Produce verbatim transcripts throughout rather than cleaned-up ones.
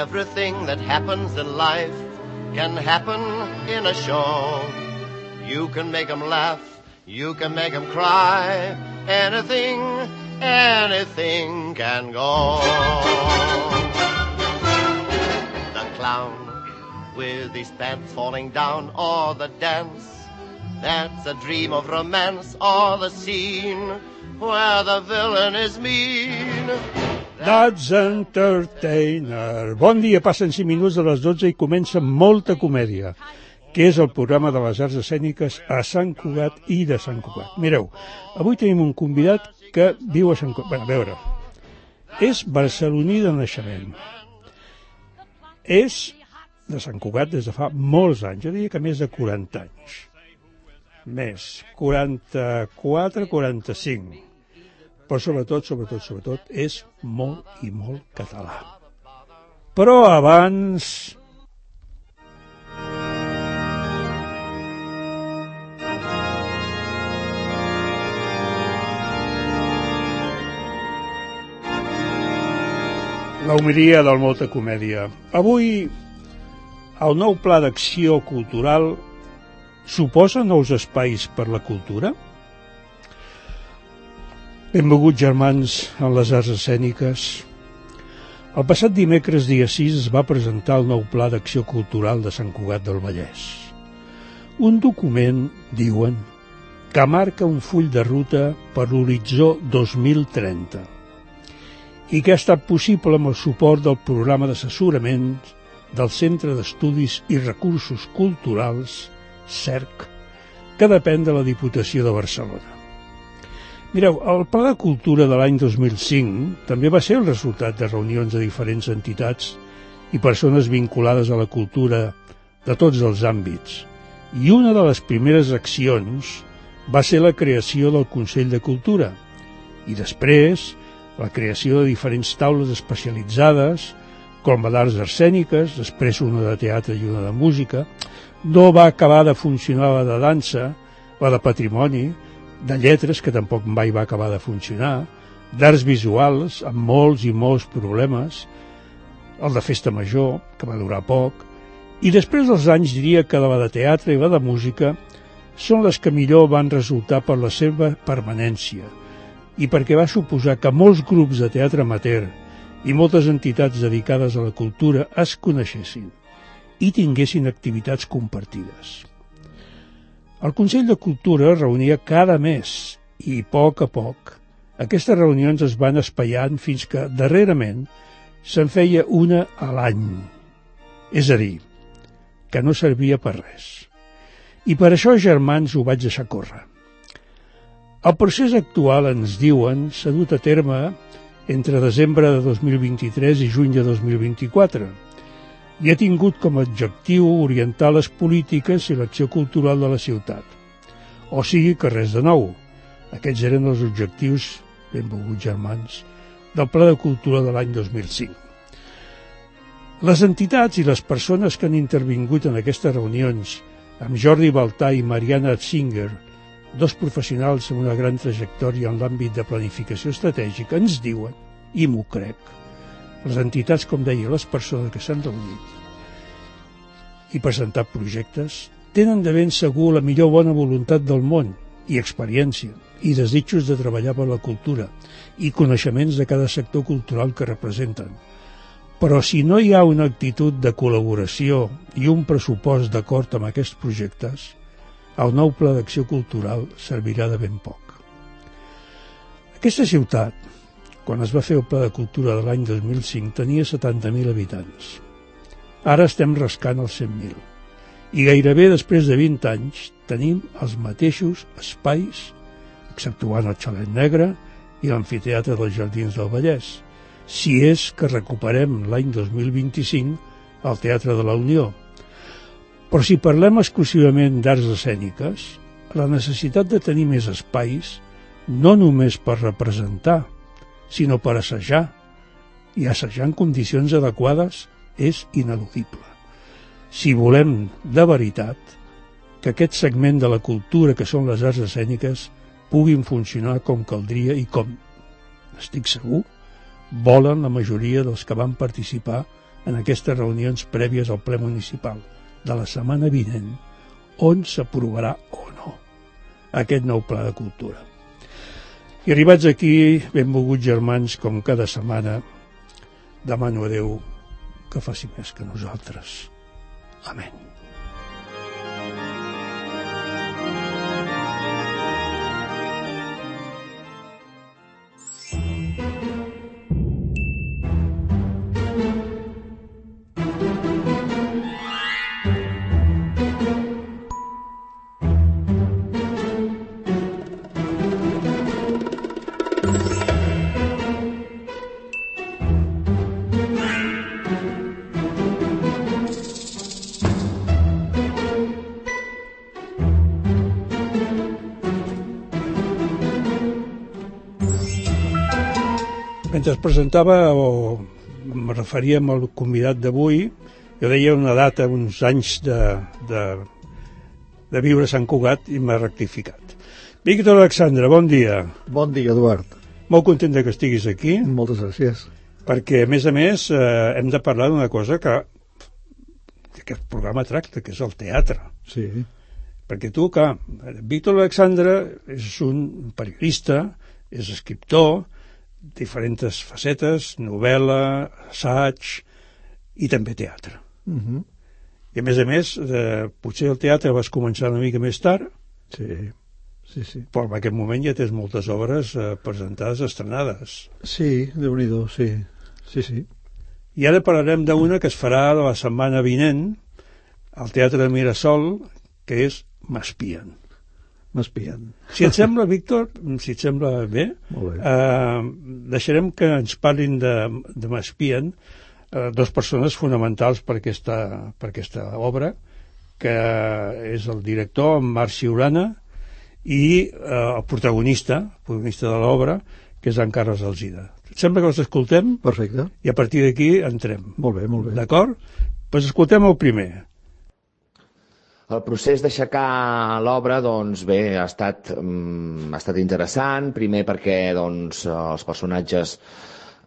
Everything that happens in life can happen in a show. You can make them laugh, you can make them cry. Anything, anything can go. The clown with his pants falling down, or the dance that's a dream of romance, or the scene where the villain is mean. That's Entertainer. Bon dia, passen cinc minuts de les dotze i comença Molta Comèdia, que és el programa de les arts escèniques a Sant Cugat i de Sant Cugat. Mireu, avui tenim un convidat que viu a Sant Cugat. Bé, a veure, és barceloní de naixement. És de Sant Cugat des de fa molts anys, jo diria que més de quaranta anys. Més, quaranta-quatre, quaranta-cinc. Però sobretot, sobretot, sobretot, és molt i molt català. Però abans... la homilia del Molta Comèdia. Avui, el nou pla d'acció cultural suposa nous espais per la cultura? Benvinguts, germans, en les arts escèniques. El passat dimecres, dia sis, es va presentar el nou Pla d'Acció Cultural de Sant Cugat del Vallès. Un document, diuen, que marca un full de ruta per l'horitzó dos mil trenta i que ha estat possible amb el suport del programa d'assessorament del Centre d'Estudis i Recursos Culturals, C E R C, que depèn de la Diputació de Barcelona. Mireu, el Pla de Cultura de l'any dos mil cinc també va ser el resultat de reunions de diferents entitats i persones vinculades a la cultura de tots els àmbits, i una de les primeres accions va ser la creació del Consell de Cultura, i després la creació de diferents taules especialitzades, com la d'arts escèniques, després una de teatre i una de música. No va acabar de funcionar la de dansa, la de patrimoni, de lletres, que tampoc mai va acabar de funcionar, d'arts visuals, amb molts i molts problemes, el de festa major, que va durar poc, i després dels anys diria que la de teatre i la de música són les que millor van resultar per la seva permanència, i perquè va suposar que molts grups de teatre amateur i moltes entitats dedicades a la cultura es coneixessin i tinguessin activitats compartides. El Consell de Cultura reunia cada mes i, a poc a poc, aquestes reunions es van espaiant fins que, darrerament, se'n feia una a l'any. És a dir, que no servia per res. I per això, germans, ho vaig deixar córrer. El procés actual, ens diuen, s'ha dut a terme entre desembre de dos mil vint-i-tres i juny de dos mil vint-i-quatre i ha tingut com a objectiu orientar les polítiques i l'acció cultural de la ciutat. O sigui que res de nou. Aquests eren els objectius, benvolguts germans, del Pla de Cultura de l'any dos mil cinc. Les entitats i les persones que han intervingut en aquestes reunions, amb Jordi Baltà i Mariana Atzinger, dos professionals amb una gran trajectòria en l'àmbit de planificació estratègica, ens diuen, i m'ho crec, les entitats, com deia, les persones que s'han reunit i presentat projectes, tenen de ben segur la millor bona voluntat del món i experiència i desitjos de treballar per la cultura i coneixements de cada sector cultural que representen. Però si no hi ha una actitud de col·laboració i un pressupost d'acord amb aquests projectes, el nou Pla d'Acció Cultural servirà de ben poc. Aquesta ciutat, quan es va fer el Pla de Cultura de l'any dos mil cinc, tenia setanta mil habitants. Ara estem rascant els cent mil. I gairebé després de vint anys tenim els mateixos espais, exceptuant el Xalet Negre i l'Amfiteatre dels Jardins del Vallès, si és que recuperem l'any dos mil vint-i-cinc el Teatre de la Unió. Però si parlem exclusivament d'arts escèniques, la necessitat de tenir més espais, no només per representar, sinó per assajar, i assajar en condicions adequades és ineludible. Si volem, de veritat, que aquest segment de la cultura que són les arts escèniques puguin funcionar com caldria i com, estic segur, volen la majoria dels que van participar en aquestes reunions prèvies al ple municipal de la setmana vinent, on s'aprovarà o no aquest nou pla de cultura. I arribats aquí, benvolguts germans, com cada setmana, demano a Déu que faci més que nosaltres. Amén. Mentre es presentava o em referíem al convidat d'avui, jo deia una data, uns anys de, de, de viure a Sant Cugat i m'ha rectificat. Víctor Alexandre, bon dia. Bon dia, Eduard. Molt content que estiguis aquí. Moltes gràcies. Perquè, a més a més, eh, hem de parlar d'una cosa que aquest programa tracta, que és el teatre. Sí. Perquè tu, clar, Víctor Alexandre és un periodista, és escriptor, diferents facetes, novel·la, assaig i també teatre. Uh-huh. I a més a més, eh, potser el teatre vas començar una mica més tard, Sí, sí, sí. però en aquest moment ja tens moltes obres eh, presentades, estrenades. Sí, Déu-n'hi-do, sí. Sí, sí. I ara parlarem d'una que es farà la setmana vinent al Teatre de Mirasol, que és M'espien. M'espien. Si et sembla, Víctor, si et sembla bé, Molt bé. eh, deixarem que ens parlin de, de M'espien eh, dues persones fonamentals per aquesta, per aquesta obra, que és el director, en Marc Siurana, i eh, el protagonista, el protagonista de l'obra, que és en Carles Alsina. Et sembla que els escoltem? Perfecte. I a partir d'aquí entrem. Molt bé, molt bé. D'acord? Doncs escoltem el primer. El procés d'aixecar l'obra, doncs bé, ha estat, um, ha estat interessant, primer perquè doncs, els personatges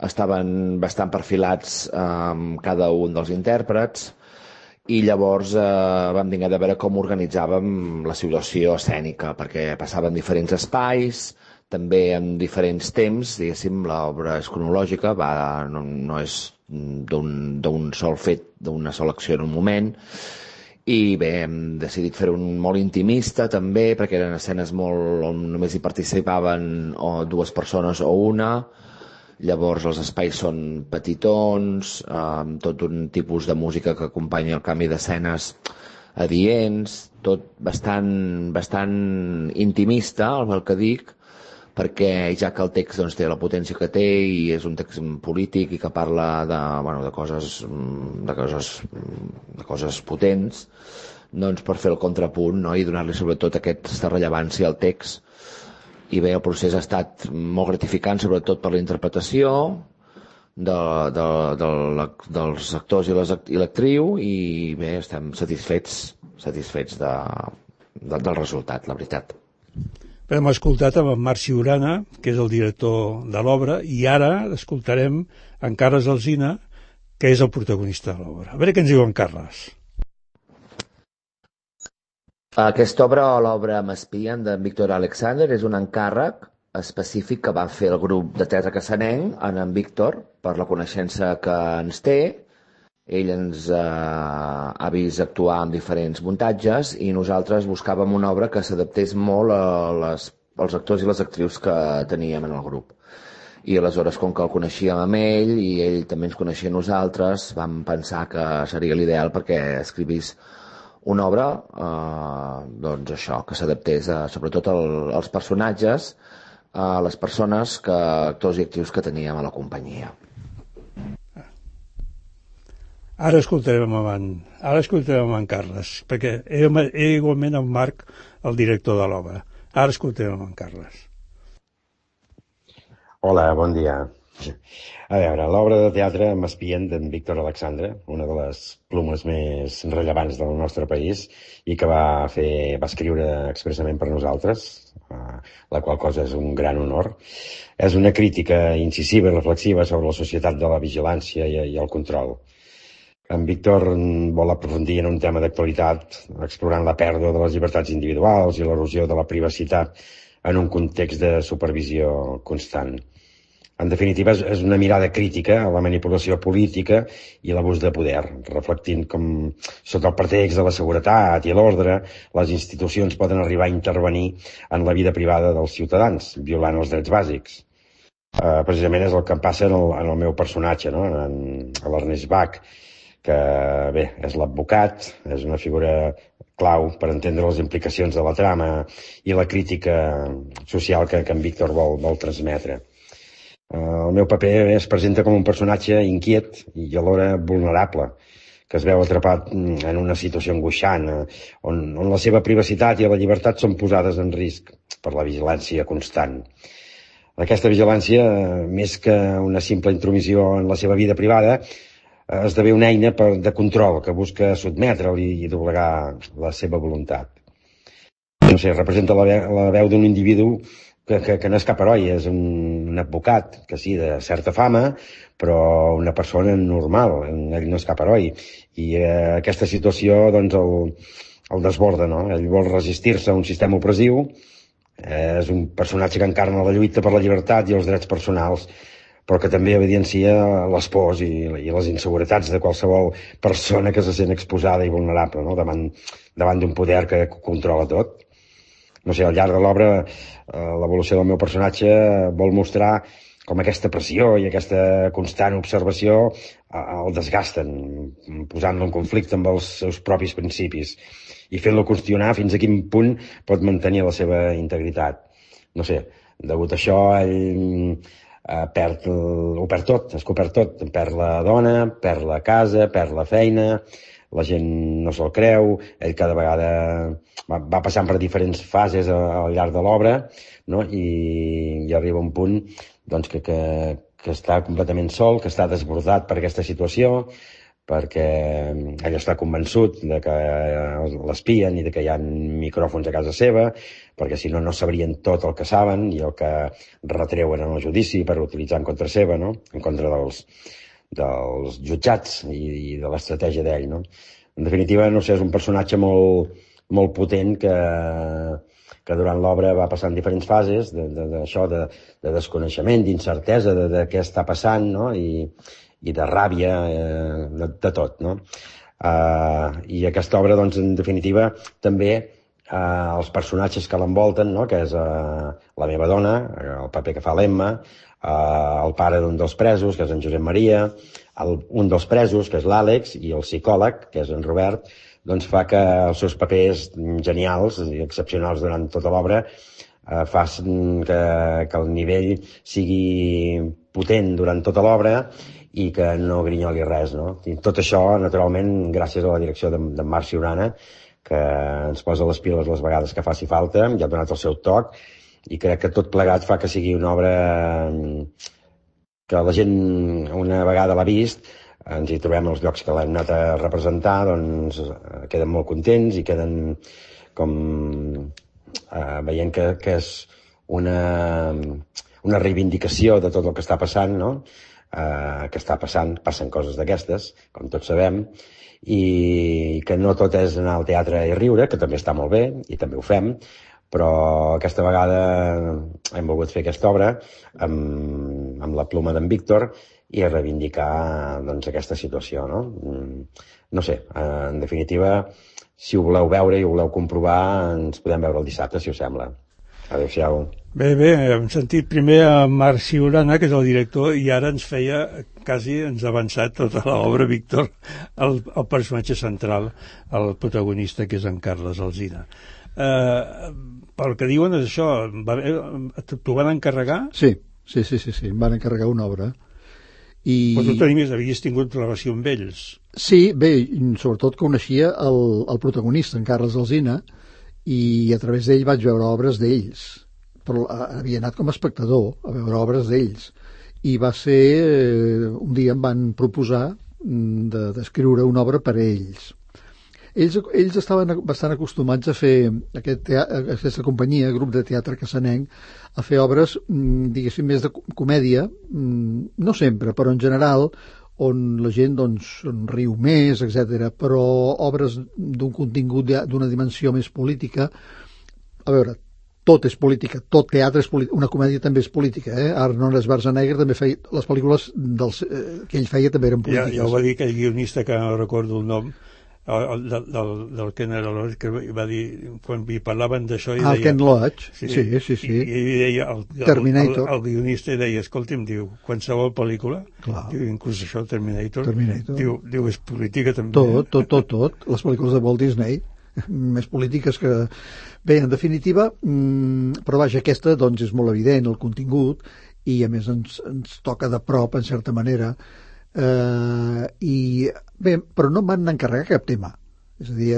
estaven bastant perfilats amb um, cada un dels intèrprets i llavors eh, vam haver de veure com organitzàvem la situació escènica, perquè passaven diferents espais, també en diferents temps, diguéssim, l'obra és cronològica, va, no, no és d'un sol fet, d'una sola acció en un moment. I bé, hem decidit fer un molt intimista també, perquè eren escenes molt on només hi participaven o dues persones o una. Llavors els espais són petitons, amb tot un tipus de música que acompanya el canvi d'escenes adients, tot bastant, bastant intimista, el que dic, perquè ja que el text doncs, té la potència que té i és un text polític i que parla de, bueno, de, coses, de, coses, de coses potents, doncs per fer el contrapunt, no? I donar-li sobretot aquesta rellevància al text. I bé, el procés ha estat molt gratificant, sobretot per la interpretació de, de, de, de, dels actors i l'actriu, i bé, estem satisfets, satisfets de, de, del resultat, la veritat. Hem escoltat amb en Marc Siurana, que és el director de l'obra, i ara escoltarem en Carles Alsina, que és el protagonista de l'obra. A veure què ens diu en Carles. Aquesta obra, l'obra M'espien, de Víctor Alexander, és un encàrrec específic que va fer el grup de teatre cassanenc en en Víctor, per la coneixença que ens té. Ell ens eh, ha vist actuar en diferents muntatges i nosaltres buscàvem una obra que s'adaptés molt a les, als actors i les actrius que teníem en el grup. I aleshores, com que el coneixíem amb ell i ell també ens coneixia a nosaltres, vam pensar que seria l'ideal perquè escrivís una obra eh, doncs això, que s'adaptés a, sobretot al, als personatges, a les persones, que, actors i actrius que teníem a la companyia. Ara escoltarem amb en, ara escoltarem amb en Carles, perquè he, he igualment el Marc, el director de l'obra. Ara escoltarem amb en Carles. Hola, bon dia. A veure, l'obra de teatre M'espien d'en Víctor Alexandre, una de les plumes més rellevants del nostre país i que va fer, va escriure expressament per nosaltres, la qual cosa és un gran honor. És una crítica incisiva i reflexiva sobre la societat de la vigilància i, i el control. En Víctor vol aprofundir en un tema d'actualitat, explorant la pèrdua de les llibertats individuals i l'erosió de la privacitat en un context de supervisió constant. En definitiva, és una mirada crítica a la manipulació política i l'abús de poder, reflectint com, sota el pretext de la seguretat i l'ordre, les institucions poden arribar a intervenir en la vida privada dels ciutadans, violant els drets bàsics. Uh, precisament és el que em passa en el, en el meu personatge, no? en, en l'Ernest Bach, que bé, és l'advocat, és una figura clau per entendre les implicacions de la trama i la crítica social que, que en Víctor vol, vol transmetre. Uh, el meu paper es presenta com un personatge inquiet i alhora vulnerable, que es veu atrapat en una situació angoixant, on, on la seva privacitat i la llibertat són posades en risc per la vigilància constant. Aquesta vigilància, més que una simple intromissió en la seva vida privada, esdevé una eina per, de control que busca sotmetre'l i, i doblegar la seva voluntat. No sé, representa la, ve la veu d'un individu que, que, que no és cap heroi, és un, un advocat, que sí, de certa fama, però una persona normal, ell no és cap heroi. I eh, aquesta situació, doncs, el, el desborda, no? Ell vol resistir-se a un sistema opressiu, eh, és un personatge que encarna la lluita per la llibertat i els drets personals, però que també evidencia les pors i, i les inseguretats de qualsevol persona que se sent exposada i vulnerable, no? davant, davant d'un poder que controla tot. No sé, al llarg de l'obra, eh, l'evolució del meu personatge vol mostrar com aquesta pressió i aquesta constant observació eh, el desgasten, posant-lo en conflicte amb els seus propis principis i fent-lo qüestionar fins a quin punt pot mantenir la seva integritat. No sé, degut a això, ell Uh, perd, ho perd tot, es que ho perd tot, perd la dona, perd la casa, perd la feina, la gent no se'l creu, ell cada vegada va, va passant per diferents fases al llarg de l'obra, no? I, i arriba un punt doncs, que, que, que està completament sol, que està desbordat per aquesta situació, perquè ell està convençut de que l'espien i de que hi ha micròfons a casa seva, perquè si no, no sabrien tot el que saben i el que retreuen en el judici per utilitzar en contra seva, no? En contra dels, dels jutjats i, i de l'estratègia d'ell, no? En definitiva, no sé, és un personatge molt, molt potent que, que durant l'obra va passant diferents fases d'això, de, de, de desconeixement, d'incertesa de, de què està passant, no? I, i de ràbia, eh, de, de tot, no? Uh, I aquesta obra, doncs, en definitiva, també uh, els personatges que l'envolten, no? Que és uh, la meva dona, el paper que fa l'Emma, uh, el pare d'un dels presos, que és en Josep Maria, el, un dels presos, que és l'Àlex, i el psicòleg, que és en Robert, doncs fa que els seus papers genials i excepcionals durant tota l'obra uh, facin que, que el nivell sigui potent durant tota l'obra i que no grinyoli res, no? I tot això, naturalment, gràcies a la direcció d'en Marc Siurana, que ens posa les piles les vegades que faci falta, ja ha donat el seu toc, i crec que tot plegat fa que sigui una obra que la gent, una vegada l'ha vist, ens hi trobem als llocs que l'hem anat a representar, doncs queden molt contents i queden com eh, veient que, que és una, una reivindicació de tot el que està passant, no? Uh, que està passant, passen coses d'aquestes, com tots sabem, i que no tot és anar al teatre i riure, que també està molt bé, i també ho fem, però aquesta vegada hem volgut fer aquesta obra amb, amb la pluma d'en Víctor i reivindicar doncs, aquesta situació, no? No sé, uh, en definitiva, si ho voleu veure i ho voleu comprovar, ens podem veure el dissabte, si us sembla. Adéu-siau. Bé, bé, hem sentit primer a Marc Siurana, que és el director, i ara ens feia, quasi ens ha avançat tota l'obra, Víctor, el, el personatge central, el protagonista, que és en Carles Alsina. Eh, pel que diuen és això, t'ho van encarregar? Sí, sí, sí, sí, sí, em van encarregar una obra. I... Però tu tenies, havies tingut relació amb ells. Sí, bé, sobretot coneixia el, el protagonista, en Carles Alsina, i a través d'ell vaig veure obres d'ells, però havia anat com a espectador a veure obres d'ells, i va ser, eh, un dia em van proposar d'escriure de, una obra per a ells. Ells, ells estaven bastant acostumats a fer aquest teatre, aquesta companyia, grup de teatre cassanenc, a fer obres, diguéssim, més de comèdia, no sempre, però en general, on la gent doncs, riu més, etcètera. Però obres d'un contingut d'una dimensió més política, a veure, tot és política, tot teatre és política, una comèdia també és política, eh? Arnold Schwarzenegger també feia, les pel·lícules dels, eh, que ell feia també eren polítiques. Ja, ja ho va dir aquell guionista que no recordo el nom, el, del, del, del Ken Loach, que va dir, quan hi parlaven d'això... Ah, el Ken Loach, sí, sí, sí. sí. I, i deia, el, Terminator. El, el, el guionista deia, escolti'm, diu, qualsevol pel·lícula, diu, inclús això, Terminator, Terminator. Diu, diu, és política també. Tot, tot, tot, tot. Les pel·lícules de Walt Disney, més polítiques que... Bé, en definitiva, mmm, però vaja, aquesta doncs és molt evident, el contingut, i a més ens, ens toca de prop, en certa manera, eh, i bé, però no em van encarregar cap tema. És a dir,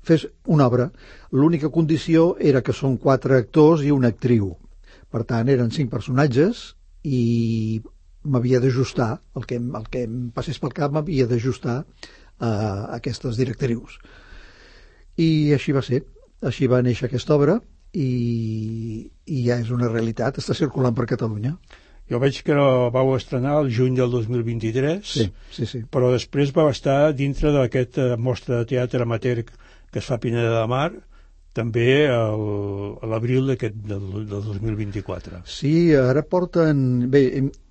fes una obra, l'única condició era que són quatre actors i una actriu. Per tant, eren cinc personatges i m'havia d'ajustar, el que, el que em passés pel cap m'havia d'ajustar a aquestes directrius. I així va ser. Així va néixer aquesta obra i, i ja és una realitat, està circulant per Catalunya. Jo veig que la vau estrenar el juny del dos mil vint-i-tres, sí, sí, sí. Però després va estar dintre d'aquesta mostra de teatre amateur que es fa a Pineda de Mar, també el, a l'abril d'aquest del, del dos mil vint-i-quatre. Sí, ara porten... Bé,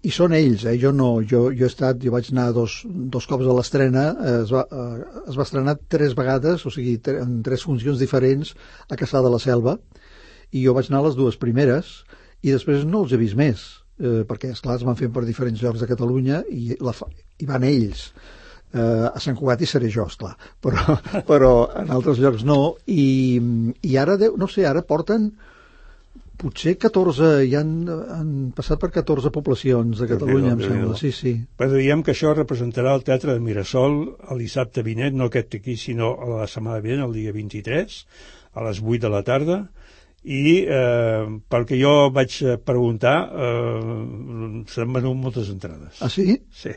i són ells, eh? Jo no, jo, jo he estat, jo vaig anar dos, dos cops a l'estrena, es, va, es va estrenar tres vegades, o sigui, en tres funcions diferents a Caçà de la Selva, i jo vaig anar a les dues primeres, i després no els he vist més, eh, perquè, esclar, es van fer per diferents llocs de Catalunya, i, la, i van ells. Uh, a Sant Cugat hi seré jo, esclar, però, però en altres llocs no, i, i ara, no sé, ara porten potser catorze, ja han, han passat per catorze poblacions de Catalunya, em sembla, sí, sí. Però diem que això representarà el Teatre de Mirasol el dissabte vinent, no aquest aquí, sinó a la setmana vinent, el dia vint-i-tres, a les vuit de la tarda, i eh, pel que jo vaig preguntar, eh, s'han venut moltes entrades. Ah, sí? Sí.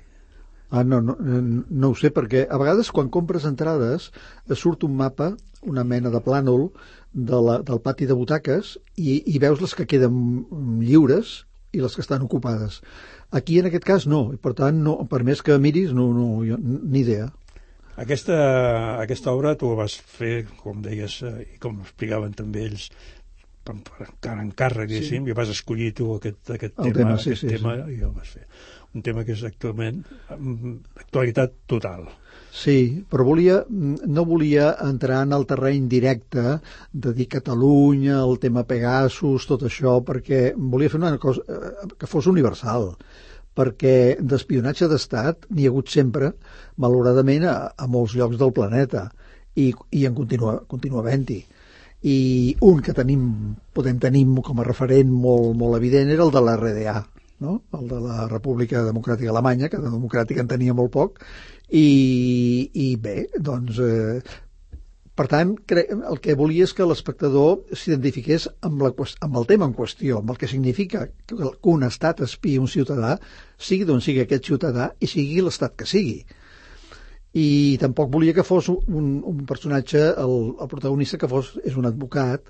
Ah, no, no, no ho sé, perquè a vegades quan compres entrades surt un mapa, una mena de plànol de la, del pati de butaques i, i veus les que queden lliures i les que estan ocupades. Aquí en aquest cas no, i per tant, no, per més que miris, no, no, jo, ni idea. Aquesta, aquesta obra tu vas fer, com deies, i com explicaven també ells, per, per encàrrec, sí. I vas escollir tu aquest, aquest El tema, tema, sí, aquest sí, tema sí. I el vas fer. Un tema que és actualment actualitat total. Sí, però volia, no volia entrar en el terreny directe de dir Catalunya, el tema Pegasus, tot això, perquè volia fer una cosa que fos universal, perquè d'espionatge d'estat n'hi ha hagut sempre, malauradament, a, a molts llocs del planeta, i, i en continua, continua havent-hi. I un que tenim, podem tenir com a referent molt, molt evident era el de l'R D A, no? El de la República Democràtica Alemanya, que de democràtica en tenia molt poc, i, i bé, doncs, eh, per tant, el que volia és que l'espectador s'identifiqués amb, la, amb el tema en qüestió, amb el que significa que un estat espia un ciutadà, sigui d'on sigui aquest ciutadà i sigui l'estat que sigui. I tampoc volia que fos un, un personatge, el, el protagonista que fos, és un advocat,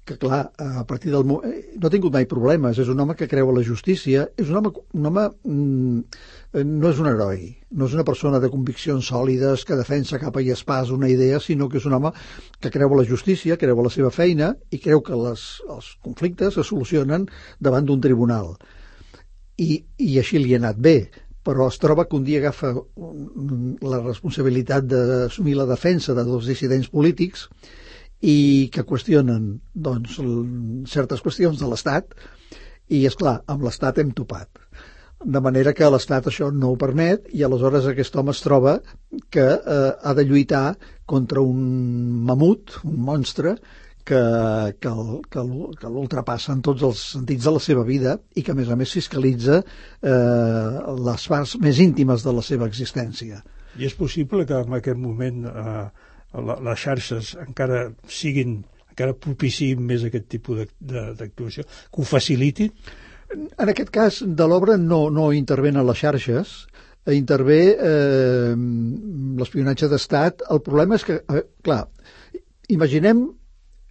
que clar, a partir del... no ha tingut mai problemes, és un home que creu a la justícia, és un home, un home mm, no és un heroi, no és una persona de conviccions sòlides que defensa capa i espàs una idea, sinó que és un home que creu a la justícia, creu a la seva feina i creu que les, els conflictes es solucionen davant d'un tribunal. I, i així li ha anat bé, però es troba que un dia agafa la responsabilitat d'assumir la defensa de dos dissidents polítics i que qüestionen doncs, certes qüestions de l'Estat i, esclar, amb l'Estat hem topat. De manera que l'Estat això no ho permet i aleshores aquest home es troba que eh, ha de lluitar contra un mamut, un monstre, que, que, que, que l'ultrapassa en tots els sentits de la seva vida i que a més a més fiscalitza eh, les parts més íntimes de la seva existència. I és possible que en aquest moment eh, les xarxes encara siguin, encara propiciïn més aquest tipus d'actuació, que ho facilitin? En aquest cas de l'obra no, no intervenen les xarxes, intervé eh, l'espionatge d'estat. El problema és que, eh, clar, imaginem,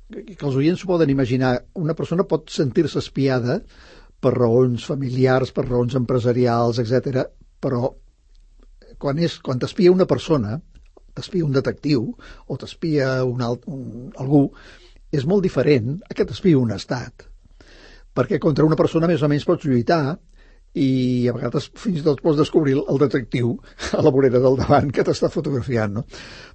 que els oients s'ho poden imaginar, una persona pot sentir-se espiada per raons familiars, per raons empresarials, etcètera, però quan, és, quan t'espia una persona, t'espia un detectiu o t'espia un, alt, un, algú, és molt diferent a que t'espia un estat. Perquè contra una persona més o menys pots lluitar i a vegades fins i tot pots descobrir el detectiu a la vorera del davant que t'està fotografiant, no?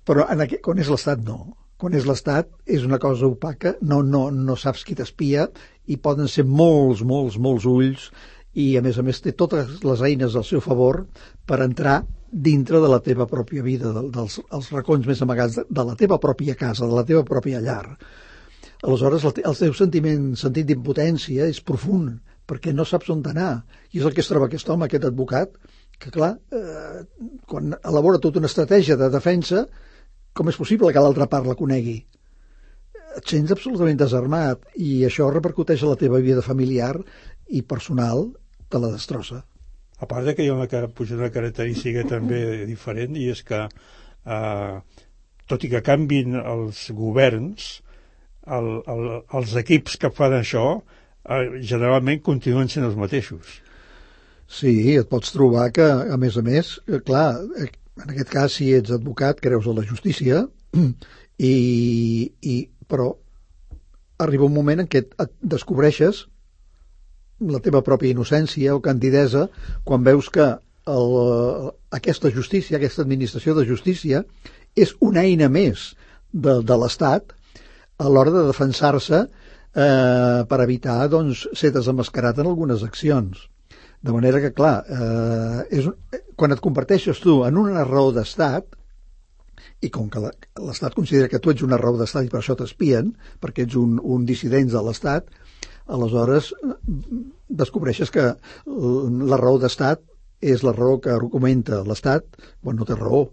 Però en aquest, quan és l'estat, no. Quan és l'estat és una cosa opaca, no, no, no saps qui t'espia i poden ser molts, molts, molts ulls i a més a més té totes les eines al seu favor per entrar dintre de la teva pròpia vida, dels els racons més amagats de, de la teva pròpia casa, de la teva pròpia llar. Aleshores el, el teu sentiment, sentit d'impotència és profund, perquè no saps on anar. I és el que es troba aquest home, aquest advocat, que clar, eh, quan elabora tota una estratègia de defensa, com és possible que l'altra part la conegui? Et sents absolutament desarmat i això repercuteix a la teva vida familiar i personal, te la destrossa. A part de que hi ha una, una característica també diferent, i és que eh, tot i que canvin els governs, el, el, els equips que fan això eh, generalment continuen sent els mateixos. Sí, et pots trobar que, a més a més, clar, en aquest cas, si ets advocat, creus a la justícia, i, i, però arriba un moment en què et descobreixes la teva pròpia innocència o candidesa quan veus que el, aquesta justícia, aquesta administració de justícia és una eina més de, de l'Estat a l'hora de defensar-se eh, per evitar doncs, ser desemmascarat en algunes accions. De manera que, clar, eh, és, quan et converteixes tu en una raó d'estat, i com que l'Estat considera que tu ets una raó d'estat i per això t'espien, perquè ets un, un dissident de l'Estat, aleshores descobreixes que la raó d'estat és la raó que argumenta l'Estat quan no té raó.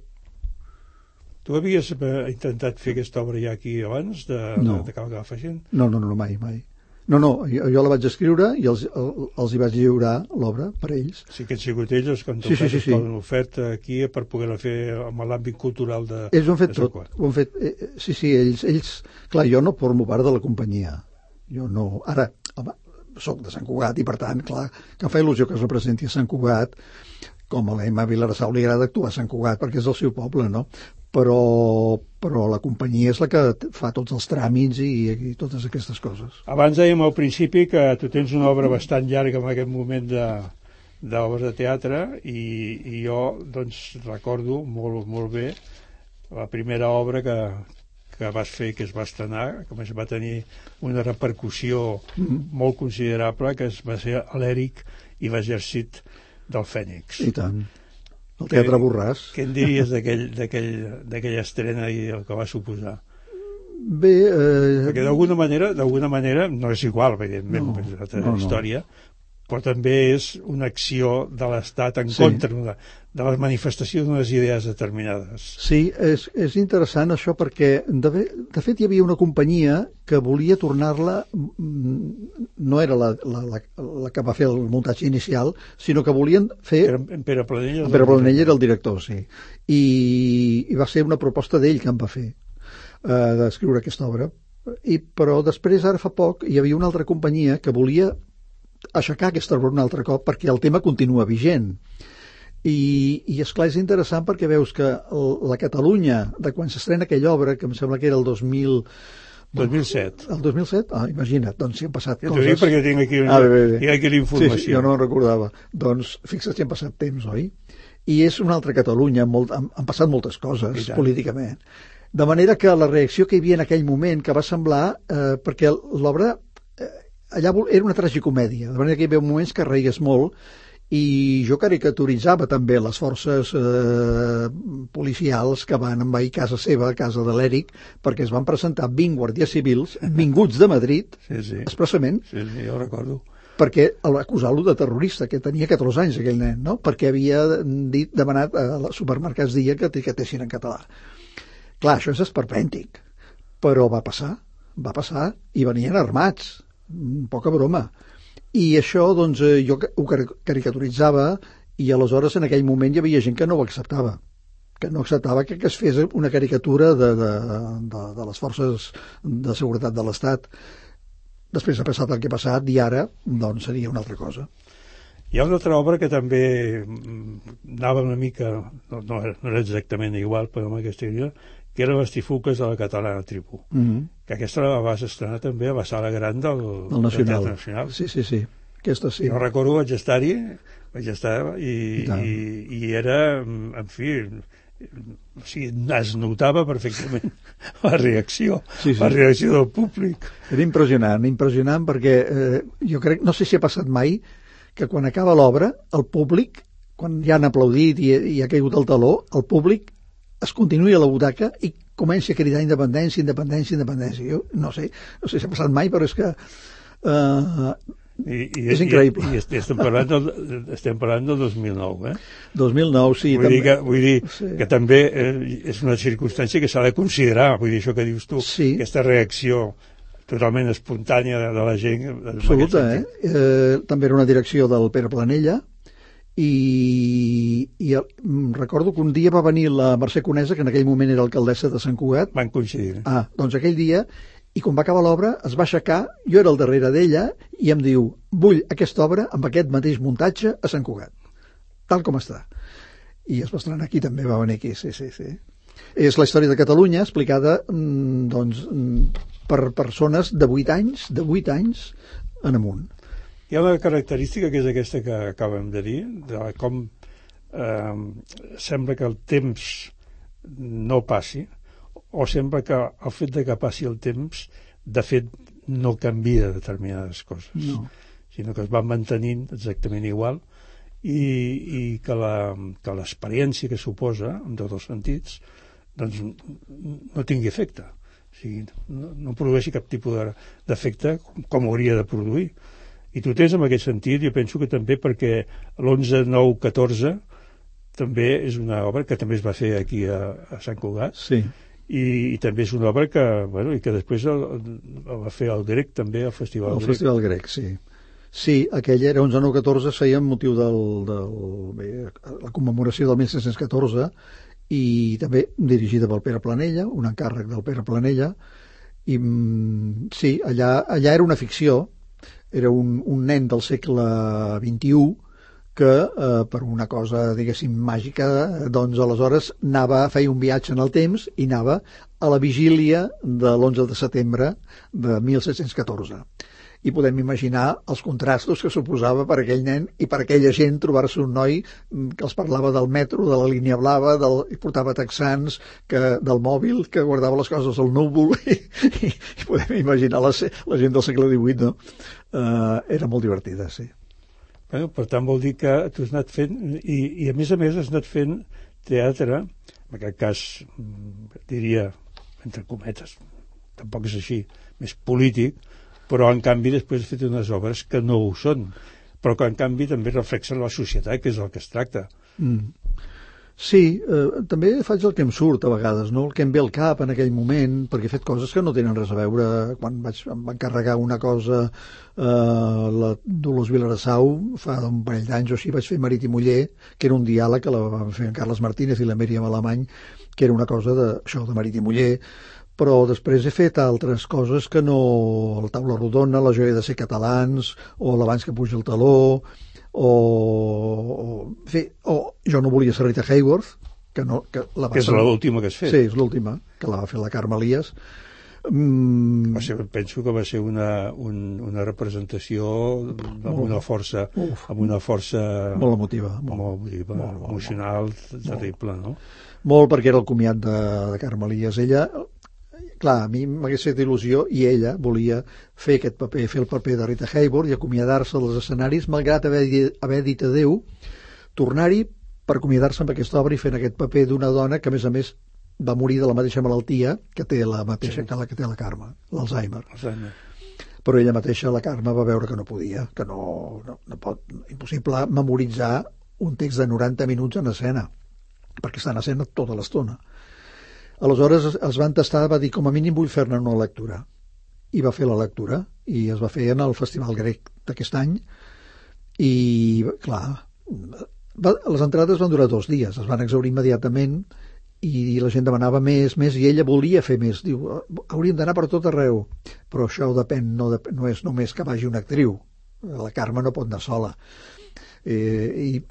Tu havies intentat fer aquesta obra ja aquí abans de, no. de, de Cal Fagent? No, no, no, mai, mai. No, no, jo, jo la vaig escriure i els, els hi vaig lliurar l'obra per ells. Sí que han sigut ells els que han sí, sí, sí, sí. l'oferta aquí per poder-la fer amb l'àmbit cultural de... Ells ho han fet tot, ho han fet, eh, sí, sí, ells, ells... Clar, jo no formo part de la companyia. Jo no... Ara, home, soc de Sant Cugat i, per tant, clar, que em fa il·lusió que es representi a Sant Cugat, com a l'Emma Vilarsau li agrada actuar a Sant Cugat, perquè és el seu poble, no? Però, però la companyia és la que fa tots els tràmits i, i totes aquestes coses. Abans dèiem al principi que tu tens una obra bastant llarga en aquest moment de d'obres de teatre i, i jo doncs recordo molt, molt bé la primera obra que, que vas fer, que es va estrenar, que va tenir una repercussió mm-hmm. molt considerable, que es va ser l'Èric i l'exèrcit del Fènix. I tant. El Teatre Borràs. Què en diries d'aquella estrena i el que va suposar? Bé... Eh... Perquè d'alguna manera, d'alguna manera, no és igual, evidentment, no, és una altra no, història, no. Però també és una acció de l'Estat en sí. contra de, de la manifestació d'unes idees determinades. Sí, és, és interessant això perquè, de, de fet, hi havia una companyia que volia tornar-la, no era la, la, la, la que va fer el muntatge inicial, sinó que volien fer... En Pere Planell, en Pere Planell era el director, sí. I, i va ser una proposta d'ell que em va fer, eh, d'escriure aquesta obra. I, però després, ara fa poc, hi havia una altra companyia que volia aixecar aquesta obra un altre cop perquè el tema continua vigent. I, i esclar, és interessant perquè veus que el, la Catalunya, de quan s'estrena aquella obra, que em sembla que era el dos mil... dos mil set. El dos mil set? Ah, imagina't, doncs si han passat ja coses... T'ho dic perquè tinc aquí, una, ah, bé, bé, bé. Tinc aquí l'informació. Sí, sí, jo no en recordava. Doncs fixa't si han passat temps, oi? I és una altra Catalunya, molt, han, han passat moltes coses políticament. De manera que la reacció que hi havia en aquell moment, que va semblar... Eh, perquè l'obra... allà era una tragicomèdia, de manera que hi havia moments que reies molt i jo caricaturitzava també les forces eh, policials que van envair casa seva, casa de l'Èric, perquè es van presentar vint guàrdies civils vinguts de Madrid, sí, sí. expressament, sí, sí, jo recordo, perquè acusar-lo de terrorista, que tenia catorze anys aquell nen, no? Perquè havia dit, demanat a supermercats dia que etiquetessin en català. Clar, això és esperpèntic, però va passar, va passar i venien armats, poca broma. I això, doncs, jo ho caricaturitzava i aleshores en aquell moment hi havia gent que no ho acceptava, que no acceptava que es fes una caricatura de, de, de, de les forces de seguretat de l'Estat. Després ha passat el que ha passat i ara, doncs, seria una altra cosa. Hi ha una altra obra que també anava una mica, no, no, era, no era exactament igual, però amb aquesta idea, que eren les Tifuques de la Catalana Tribu. Mm -hmm. Que aquesta la vas estrenar també a la sala gran del, del Nacional. del Nacional. Sí, sí, sí. Aquesta sí. Jo recordo, vaig estar-hi, vaig estar i, I, i, i era, en fi, o sigui, es notava perfectament la reacció, sí, sí. la reacció del públic. Era impressionant, impressionant perquè eh, jo crec, no sé si ha passat mai, que quan acaba l'obra, el públic, quan ja han aplaudit i, i ha caigut el taló, el públic es continuï a la butaca i comença a cridar independència, independència, independència. Jo no sé, no sé si ha passat mai, però és que eh, I, i, és increïble. I, i estem, parlant del, estem parlant del dos mil nou, eh? dos mil nou, sí. Vull també. dir que, vull dir sí. que també eh, és una circumstància que s'ha de considerar, vull dir això que dius tu, sí. aquesta reacció totalment espontània de, de la gent. Absoluta, eh? eh? També era una direcció del Pere Planella i, i recordo que un dia va venir la Mercè Conesa, que en aquell moment era alcaldessa de Sant Cugat. Van coincidir. Ah, doncs aquell dia, i quan va acabar l'obra es va aixecar, jo era al darrere d'ella i em diu, vull aquesta obra amb aquest mateix muntatge a Sant Cugat, tal com està. I es va estrenar aquí, també va venir aquí, sí, sí, sí. És la història de Catalunya explicada doncs, per persones de vuit anys, de vuit anys en amunt. Hi ha una característica que és aquesta que acabem de dir, de com eh, sembla que el temps no passi, o sembla que el fet de que passi el temps, de fet, no canvia determinades coses, no. sinó que es van mantenint exactament igual i, i que l'experiència que suposa, en tots els sentits, doncs no tingui efecte. O sigui, no, no produeixi cap tipus d'efecte com hauria de produir. I tu tens en aquest sentit, jo penso que també perquè l'onze nou catorze també és una obra que també es va fer aquí a, a Sant Cugat, sí. i, i també és una obra que, bueno, i que després el, el va fer el Grec també, al Festival el Grec. El Festival Grec, sí. Sí, aquella era onze nou catorze, es feia amb motiu del, del, bé, la commemoració del mil set-cents catorze, i també dirigida pel Pere Planella, un encàrrec del Pere Planella, i sí, allà, allà era una ficció, era un, un nen del segle vint-i-u que eh, per una cosa, diguéssim, màgica, doncs aleshores anava, feia un viatge en el temps i anava a la vigília de l'onze de setembre de mil set-cents catorze. I podem imaginar els contrastos que suposava per aquell nen i per aquella gent trobar-se un noi que els parlava del metro, de la línia blava, del, i portava texans, que, del mòbil, que guardava les coses al núvol, i, i, i podem imaginar la, la gent del segle divuit, no? Uh, era molt divertida, sí. Bueno, per tant, vol dir que tu has anat fent, i, i a més a més has anat fent teatre, en aquest cas, diria, entre cometes, tampoc és així, més polític, però en canvi després he fet unes obres que no ho són, però que en canvi també reflexen la societat, que és el que es tracta. Mm. Sí, eh, també faig el que em surt a vegades, no? El que em ve al cap en aquell moment, perquè he fet coses que no tenen res a veure. Quan vaig, em va encarregar una cosa eh, la Dolors Vilarasau, fa un parell d'anys o així, vaig fer Marit i Muller, que era un diàleg que la van fer en Carles Martínez i la Míriam Alemany, que era una cosa de, això, de Marit i Muller, però després he fet altres coses que no... La taula rodona, la joia de ser catalans, o l'abans que puja el taló, o... o, fi, o jo no volia ser Rita Hayworth, que, no, que, la va que és ser... l'última que has fet. Sí, és l'última, que la va fer la Carme Elias. Mm... Va ser, penso que va ser una, un, una representació amb molt, una força, uf, amb una força molt emotiva, molt, molt emotiva, molt, molt, emocional, molt, terrible, no? Molt, perquè era el comiat de, de Carme Elias. Ella... Clar, a mi m'hagués fet il·lusió i ella volia fer aquest paper, fer el paper de Rita Hayworth i acomiadar-se dels escenaris, malgrat haver, haver dit adeu, tornar-hi per acomiadar-se amb aquesta obra i fent aquest paper d'una dona que, a més a més, va morir de la mateixa malaltia que té la mateixa sí. que la que té la Carme, l'Alzheimer. Però ella mateixa, la Carme, va veure que no podia, que no, no, no pot, impossible memoritzar un text de noranta minuts en escena, perquè està en escena tota l'estona. Aleshores es van tastar, va dir, com a mínim vull fer-ne una lectura. I va fer la lectura, i es va fer en el Festival Grec d'aquest any, i, clar, va, les entrades van durar dos dies, es van exhaurir immediatament, i la gent demanava més, més, i ella volia fer més. Diu, hauríem d'anar per tot arreu, però això depèn, no, depèn, no és només que vagi una actriu. La Carme no pot anar sola. Eh, I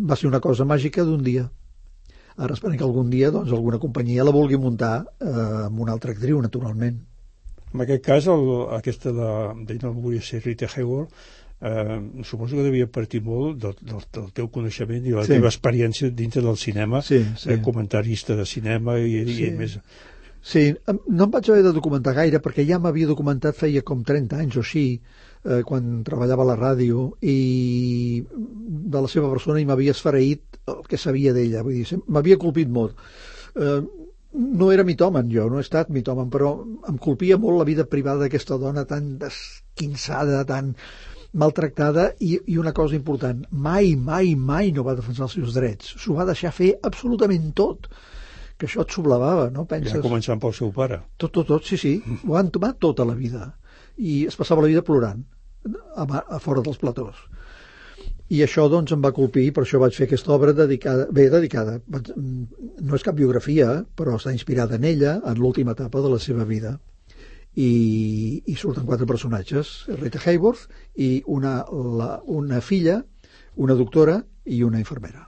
va ser una cosa màgica d'un dia. Ara esperem que algun dia doncs, alguna companyia la vulgui muntar eh, amb una altra actriu, naturalment. En aquest cas, el, aquesta de, de no volia ser Rita Hayworth, eh, suposo que devia partir molt del, del, del teu coneixement i la sí. teva experiència dintre del cinema, sí, sí. Eh, comentarista de cinema i, sí. i més... Sí, no em vaig haver de documentar gaire perquè ja m'havia documentat feia com trenta anys o així, eh, quan treballava a la ràdio, i de la seva persona i m'havia esfereït el que sabia d'ella, vull dir, m'havia colpit molt. Eh, no era mitòman jo, no he estat mitòman, però em colpia molt la vida privada d'aquesta dona tan desquinçada, tan maltractada, i, i una cosa important, mai, mai, mai no va defensar els seus drets, s'ho va deixar fer absolutament tot, que això et sublevava, no? Penses... Ja començant pel seu pare. Tot, tot, tot, sí, sí, ho han tomat tota la vida, i es passava la vida plorant, a, a fora dels platós. I això, doncs, em va colpir, per això vaig fer aquesta obra dedicada, bé, dedicada, no és cap biografia, però està inspirada en ella, en l'última etapa de la seva vida. I, i surten quatre personatges, Rita Hayworth i una, la, una filla, una doctora i una infermera.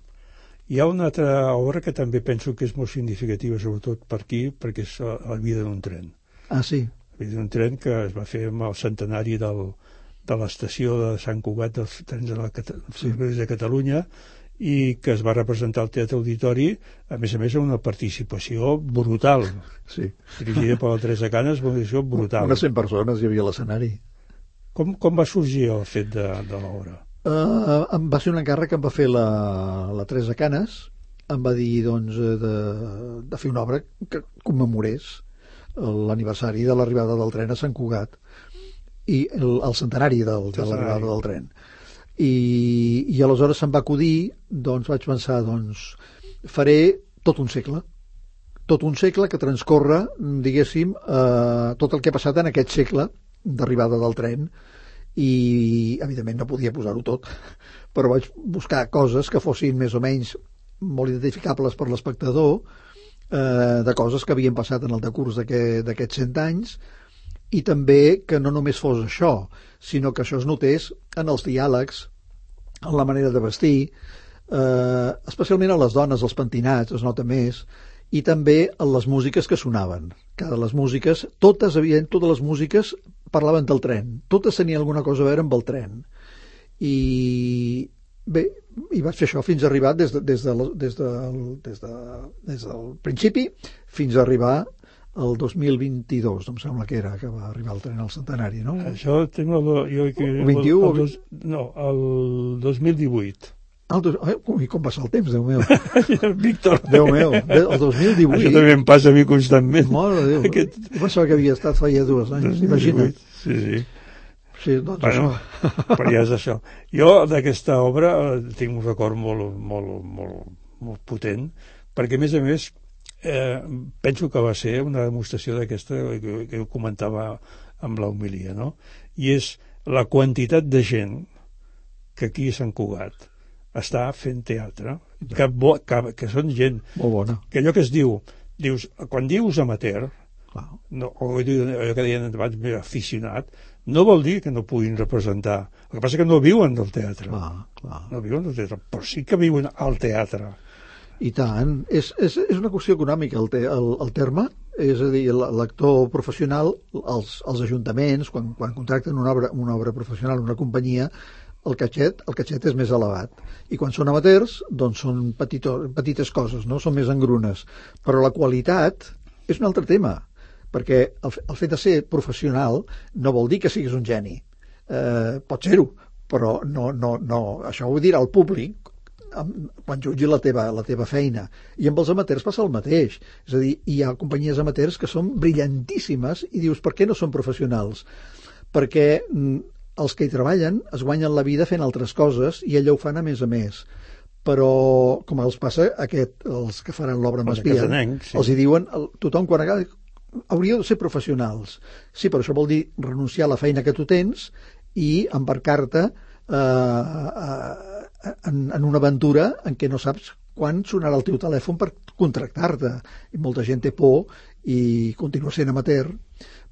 Hi ha una altra obra que també penso que és molt significativa, sobretot per aquí, perquè és La vida d'un tren. Ah, sí? La vida d'un tren que es va fer amb el centenari del, de l'estació de Sant Cugat dels trens de, la, sí. de Catalunya, i que es va representar al Teatre Auditori, a més a més amb una participació brutal. Sí. Dirigida per la Teresa Canes, una participació brutal. Unes cent persones hi havia a l'escenari. Com, com va sorgir el fet de, de l'obra? Uh, em va ser un encàrrec que em va fer la, la Teresa Canes, em va dir doncs, de, de fer una obra que commemorés l'aniversari de l'arribada del tren a Sant Cugat i el, el centenari del, de l'arribada del tren. I, i aleshores se'm va acudir, doncs vaig pensar, doncs faré tot un segle, tot un segle que transcorre, diguéssim, eh, tot el que ha passat en aquest segle d'arribada del tren, i evidentment no podia posar-ho tot, però vaig buscar coses que fossin més o menys molt identificables per l'espectador, eh, de coses que havien passat en el decurs d'aquests cent anys, i també que no només fos això, sinó que això es notés en els diàlegs, en la manera de vestir, eh, especialment a les dones, els pentinats, es nota més, i també en les músiques que sonaven. Cada les músiques, totes havien, totes les músiques parlaven del tren, totes tenien alguna cosa a veure amb el tren. I bé, i vaig fer això fins a arribar des, de, des, de, des, de, des, de, des del principi fins a arribar el dos mil vint-i-dos, em sembla que era que va arribar el tren al centenari, no? Això tinc el, jo, que, el vint-i-u? El, el dos, no, el dos mil divuit. El dos, ui, com passa el temps, Déu meu. Víctor. Déu meu, el dos mil divuit. Això també em passa a mi constantment. Mare de Déu. Aquest... Jo pensava que havia estat feia dos anys, imagina't. Sí, sí. Sí, doncs bueno, això. Però ja és això. Jo d'aquesta obra tinc un record molt, molt, molt, molt potent, perquè a més a més eh, penso que va ser una demostració d'aquesta que, que ho comentava amb la homilia, no? I és la quantitat de gent que aquí a Sant Cugat està fent teatre, que, bo, que, que són gent molt bona. Que allò que es diu, dius, quan dius amateur, wow. no, o allò que deien abans, aficionat, no vol dir que no puguin representar. El que passa és que no viuen del teatre. Clar, clar. No viuen del teatre, però sí que viuen al teatre. I tant. És, és, és una qüestió econòmica el, te, el, el terme, és a dir, l'actor professional, els, els ajuntaments, quan, quan contracten una obra, una obra professional, una companyia, el catxet, el catxet és més elevat. I quan són amateurs, doncs són petito, petites coses, no? Són més engrunes. Però la qualitat és un altre tema, perquè el, el fet de ser professional no vol dir que siguis un geni. Eh, pot ser-ho, però no, no, no. Això ho dirà el públic quan jutgi la teva, la teva feina. I amb els amateurs passa el mateix. És a dir, hi ha companyies amateurs que són brillantíssimes i dius, per què no són professionals? Perquè els que hi treballen es guanyen la vida fent altres coses i ella ho fan a més a més. Però, com els passa a aquest, els que faran l'obra M'espien, sí. Els hi diuen, tothom quan acaba, hauríeu de ser professionals. Sí, però això vol dir renunciar a la feina que tu tens i embarcar-te eh, en, en una aventura en què no saps quan sonarà el teu telèfon per contractar-te. I molta gent té por i continua sent amateur,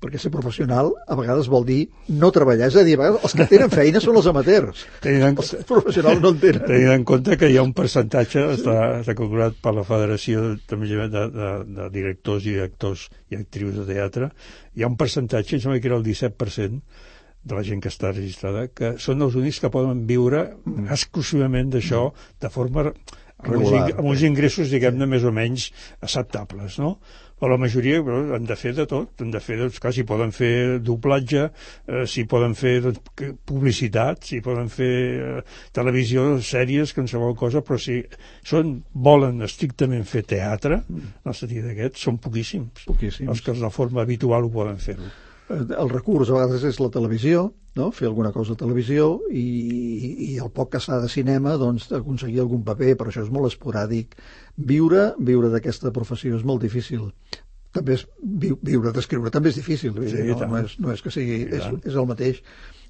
perquè ser professional a vegades vol dir no treballar. És a dir, a vegades els que tenen feina són els amateurs. En... Els professionals no en tenen. Tenint en compte que hi ha un percentatge, està, està calculat per la Federació de, de, de, de directors i actors i actrius de teatre, hi ha un percentatge, em sembla que era el disset per cent de la gent que està registrada, que són els únics que poden viure mm. exclusivament d'això de forma regular, amb uns ingressos, diguem-ne, més o menys acceptables, no? Però la majoria bueno, han de fer de tot, han de fer, doncs, clar, si poden fer doblatge, eh, si poden fer doncs, publicitat, si poden fer eh, televisió, sèries, qualsevol cosa, però si són, volen estrictament fer teatre, mm. en el sentit d'aquest, són poquíssims. Poquíssims. Els que de forma habitual ho poden fer-ho. El recurs a vegades és la televisió, no? Fer alguna cosa a televisió i, i el poc que s'ha de cinema, doncs, aconseguir algun paper, però això és molt esporàdic. Viure, viure d'aquesta professió és molt difícil. També és, vi, viure d'escriure també és difícil, sí, no, no, és, no és que sigui, és, és el mateix.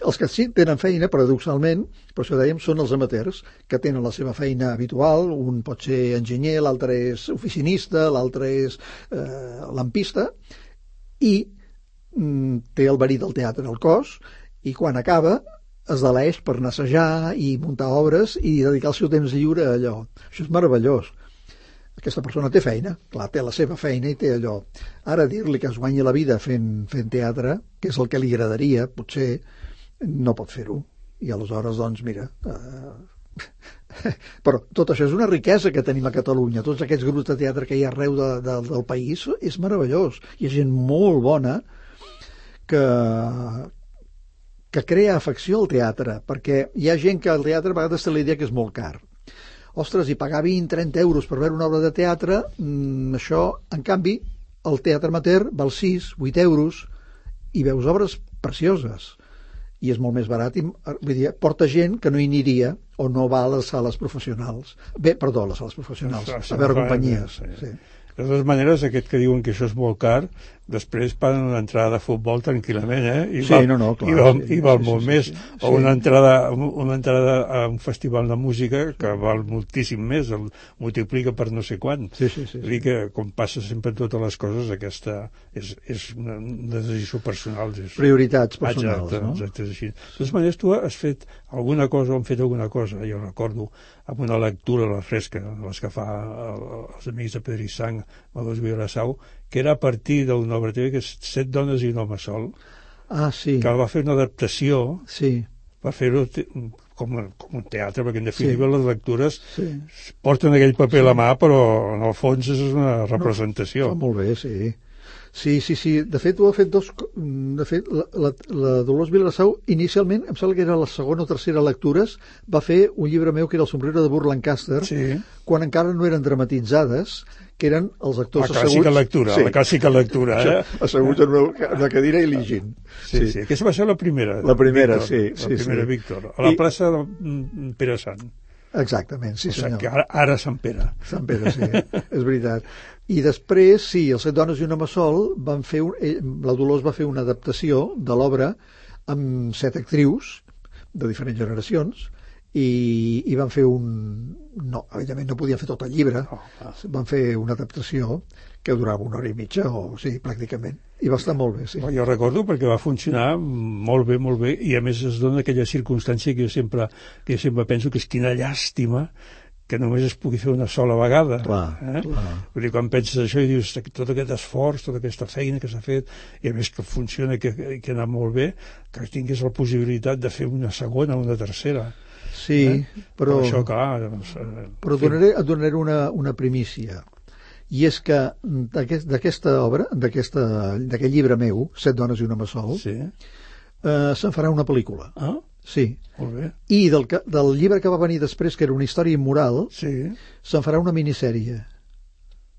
Els que sí tenen feina, paradoxalment, per això dèiem, són els amateurs, que tenen la seva feina habitual, un pot ser enginyer, l'altre és oficinista, l'altre és eh, lampista, i té el verí del teatre al cos i quan acaba es deleix per anar a assajar i muntar obres i dedicar el seu temps lliure a allò. Això és meravellós. Aquesta persona té feina, clar, té la seva feina i té allò. Ara dir-li que es guanyi la vida fent, fent teatre, que és el que li agradaria, potser no pot fer-ho. I aleshores, doncs, mira... Eh... Però tot això és una riquesa que tenim a Catalunya. Tots aquests grups de teatre que hi ha arreu de, de, del país és meravellós. Hi ha gent molt bona que, que crea afecció al teatre, perquè hi ha gent que al teatre a vegades té la idea que és molt car. Ostres, i pagar vint, trenta euros per veure una obra de teatre, mmm, això, en canvi, el teatre amateur val sis, vuit euros, i veus obres precioses. I és molt més barat, i, vull dir, porta gent que no hi aniria o no va a les sales professionals. Bé, perdó, a les sales professionals, a veure companyies. Sí. De totes maneres, aquest que diuen que això és molt car, després paguen una entrada de futbol tranquil·lament, eh? I sí, val, no, no, clar. I val, sí, i val sí, molt sí, més. Sí, sí, o una entrada, una entrada a un festival de música que val moltíssim més, el multiplica per no sé quant. Sí, sí, sí. Vull dir que, com passa sempre en totes les coses, aquesta és, és una, una decisió personal. És... Prioritats personals, exacte, no? Exacte, és així. De totes maneres, tu has fet alguna cosa, o han fet alguna cosa, jo recordo, amb una lectura a la fresca, les que fa els amics de Pedro i Sang, Mados Vilarasau, que era a partir d'una obra teva que és Set dones i un home sol, ah, sí. que va fer una adaptació, sí. va fer-ho com, com un teatre, perquè en definitiva sí. les lectures sí. porten aquell paper sí. a la mà, però en el fons és una representació. No, fa molt bé, sí. Sí, sí, sí. De fet, ho ha fet dos... De fet, la, la, la Dolors Vilarasau, inicialment, em sembla que era la segona o tercera lectures, va fer un llibre meu que era El sombrero de Burr Lancaster, sí. quan encara no eren dramatitzades, que eren els actors asseguts... La clàssica lectura, sí. la clàssica lectura, eh? Asseguts en una, una cadira i llegint. Sí, sí, sí. Aquesta va ser la primera. La primera, Víctor, sí. La sí, primera sí. Víctor, a la I... plaça de Pere Sant. Exactament, sí, o sigui, senyor. Que ara, ara Sant Pere. Sant Pere, sí, és veritat. I després, sí, els Set dones i un home sol van fer un, la Dolors va fer una adaptació de l'obra amb set actrius de diferents generacions i, i van fer un... No, evidentment no podien fer tot el llibre, oh, ah. van fer una adaptació que durava una hora i mitja, o sí, pràcticament. I va estar molt bé, sí. Jo recordo perquè va funcionar molt bé, molt bé, i a més es dona aquella circumstància que jo sempre, que jo sempre penso que és quina llàstima que només es pugui fer una sola vegada. Clar, eh? clar. Vull dir, quan penses això i dius tot aquest esforç, tota aquesta feina que s'ha fet, i a més que funciona, que, que ha anat molt bé, que tingués la possibilitat de fer una segona o una tercera. Sí, eh? però... però això, clar... Doncs, eh, però donaré, et donaré una, una primícia. I és que d'aquesta aquest, obra, d'aquest llibre meu, Set dones i un home sol, sí. eh, se'n farà una pel·lícula. Ah? Sí. Molt bé. I del, del llibre que va venir després, que era una història immoral, sí. se'n farà una minissèrie.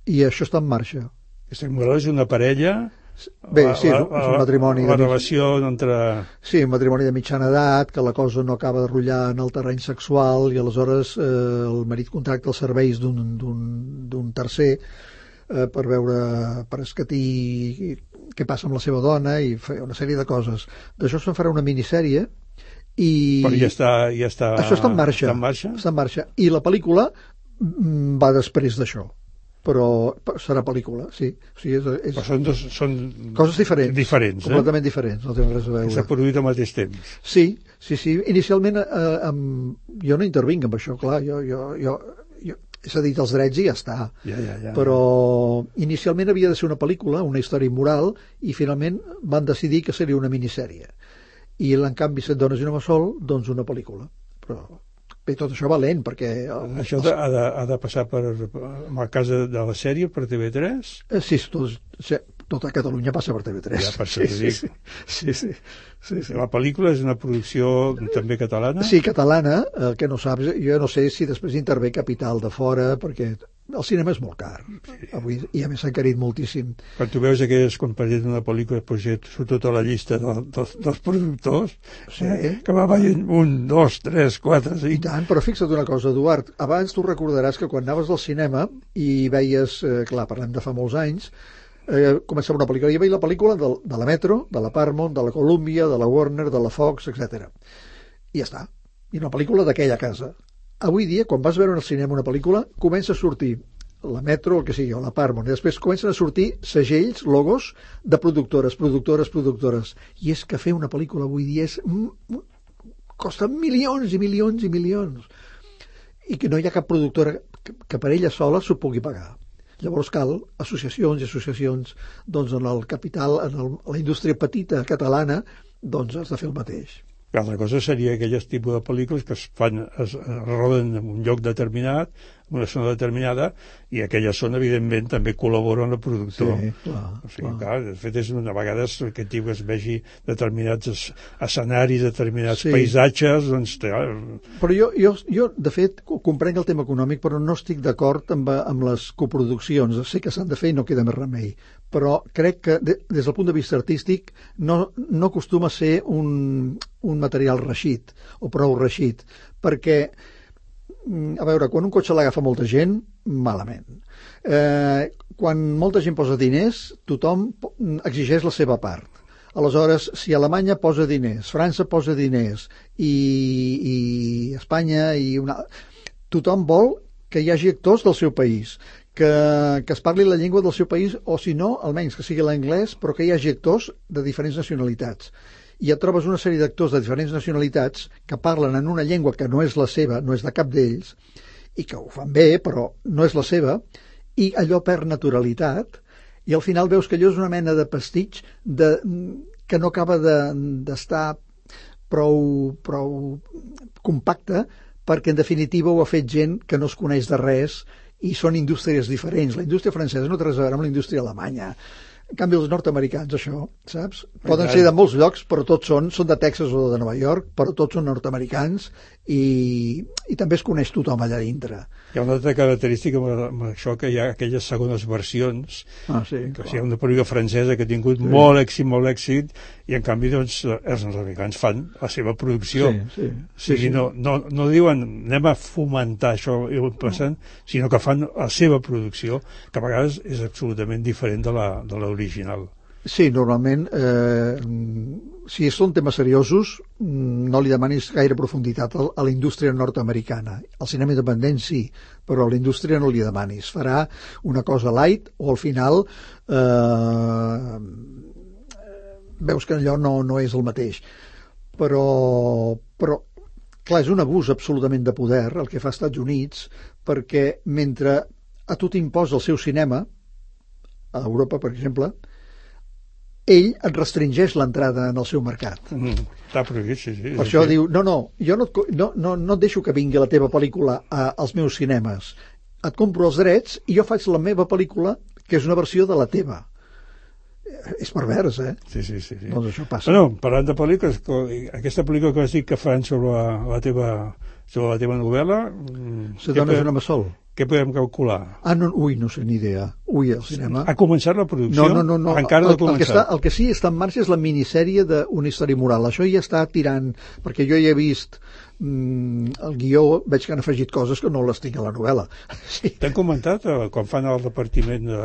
I això està en marxa. Aquesta immoral és una parella... Bé, sí, la, és un matrimoni... La de relació mig... entre... Sí, un matrimoni de mitjana edat, que la cosa no acaba de rotllar en el terreny sexual i aleshores eh, el marit contracta els serveis d'un tercer eh, per veure, per escatir què passa amb la seva dona i fer una sèrie de coses. D'això se'n farà una minissèrie i... Però ja està, ja està... Això està en marxa. Està en marxa? Està en marxa. I la pel·lícula va després d'això, però serà pel·lícula, sí. O sigui, és, és... Però són, dos, són coses diferents, diferents completament eh? diferents, no tenen res a veure. S'ha produït al mateix temps. Sí, sí, sí. Inicialment eh, amb... jo no intervinc amb això, clar, jo, jo, jo, jo he cedit els drets i ja està. Ja, ja, ja. Però inicialment havia de ser una pel·lícula, una història immoral, i finalment van decidir que seria una minissèrie. I en canvi, Set dones i un home sol, doncs una pel·lícula. Però bé, tot això va lent, perquè... El, això els... ha, de, ha de passar per, en el cas de, de la sèrie, per T V tres? Eh, sí, tot, tota Catalunya passa per T V tres. Ja, per això sí, t'ho sí, dic. Sí, sí, sí, sí. La pel·lícula és una producció també catalana? Sí, catalana, el que no saps, jo no sé si després intervé capital de fora, perquè el cinema és molt car. Sí. Avui, i a més s'ha encarit moltíssim. Quan tu veus aquelles, quan parles d'una pel·lícula, pues, surt tota la llista de, dels, dels productors, sí. eh, que va veient un, dos, tres, quatre, cinc... I tant, però fixa't una cosa, Eduard, abans tu recordaràs que quan anaves al cinema i veies, eh, clar, parlem de fa molts anys, eh, començava una pel·lícula, i veia la pel·lícula de, de la Metro, de la Paramount, de la Columbia, de la Warner, de la Fox, etcètera. I ja està. I una pel·lícula d'aquella casa. Avui dia, quan vas veure al cinema una pel·lícula, comença a sortir la Metro, el que sigui, o la Paramount, i després comencen a sortir segells, logos de productores, productores, productores. I és que fer una pel·lícula avui dia és... costa milions i milions i milions. I que no hi ha cap productora que, que per ella sola s'ho pugui pagar. Llavors cal associacions i associacions, doncs en el capital, en el, la indústria petita catalana, doncs has de fer el mateix. L'altra cosa seria aquelles tipus de pel·lícules que es fan, es, es roden en un lloc determinat, en una zona determinada, i aquella zona, evidentment, també col·labora amb el productor. Sí, clar. O sigui, clar. clar, de fet, és una vegada que tipus es vegi determinats escenaris, determinats sí. paisatges, doncs... Clar... Però jo, jo, jo, de fet, comprenc el tema econòmic, però no estic d'acord amb, amb les coproduccions. Sé que s'han de fer i no queda més remei. Però crec que, de, des del punt de vista artístic, no, no acostuma a ser un, un material reixit, o prou reixit, perquè, a veure, quan un cotxe l'agafa molta gent, malament. Eh, quan molta gent posa diners, tothom exigeix la seva part. Aleshores, si Alemanya posa diners, França posa diners, i, i Espanya, i una... tothom vol que hi hagi actors del seu país, que, que es parli la llengua del seu país, o si no, almenys que sigui l'anglès, però que hi hagi actors de diferents nacionalitats. I et trobes una sèrie d'actors de diferents nacionalitats que parlen en una llengua que no és la seva, no és de cap d'ells, i que ho fan bé, però no és la seva, i allò perd naturalitat, i al final veus que allò és una mena de pastitx de, que no acaba d'estar de, prou, prou compacte, perquè en definitiva ho ha fet gent que no es coneix de res i són indústries diferents. La indústria francesa no té res a veure amb la indústria alemanya. En canvi, els nord-americans, això, saps? Poden ser de molts llocs, però tots són, són de Texas o de Nova York, però tots són nord-americans i, i també es coneix tothom allà dintre. Hi ha una altra característica amb això, que hi ha aquelles segones versions, ah, sí, que hi ha una pel·lícula francesa que ha tingut sí. molt èxit, molt èxit, i en canvi doncs, els nord-americans fan la seva producció. Sí, sí. sí, sí, sí. No, no, no diuen anem a fomentar això, passant, no. sinó que fan la seva producció, que a vegades és absolutament diferent de la, de l'original. Sí, normalment, eh, si són temes seriosos, no li demanis gaire profunditat a, a la indústria nord-americana. Al cinema independent sí, però a la indústria no li demanis. Farà una cosa light o al final eh, veus que allò no, no és el mateix. Però, però, clar, és un abús absolutament de poder el que fa als Estats Units, perquè mentre a tu t'imposa el seu cinema, a Europa, per exemple, ell et restringeix l'entrada en el seu mercat. Mm, està prohibit, sí, sí. Per això diu, no, no, jo no et, no, no, no et deixo que vingui la teva pel·lícula a, als meus cinemes. Et compro els drets i jo faig la meva pel·lícula, que és una versió de la teva. És pervers, eh? Sí, sí, sí. sí. Doncs això passa. Bueno, parlant de pel·lícules, aquesta pel·lícula que vas dir que fan sobre la, la, teva, sobre la teva novel·la... Se dona un home sol. Què podem calcular? Ah, no, ui, no sé ni idea. Ui, el cinema... Ha començat la producció? No, no, no. no. Encara no ha el, començat. El que, està, el que sí està en marxa és la minissèrie d'una història moral. Això ja està tirant... Perquè jo ja he vist mm, el guió, veig que han afegit coses que no les tinc a la novel·la. Sí. T'han comentat eh, quan fan el repartiment de,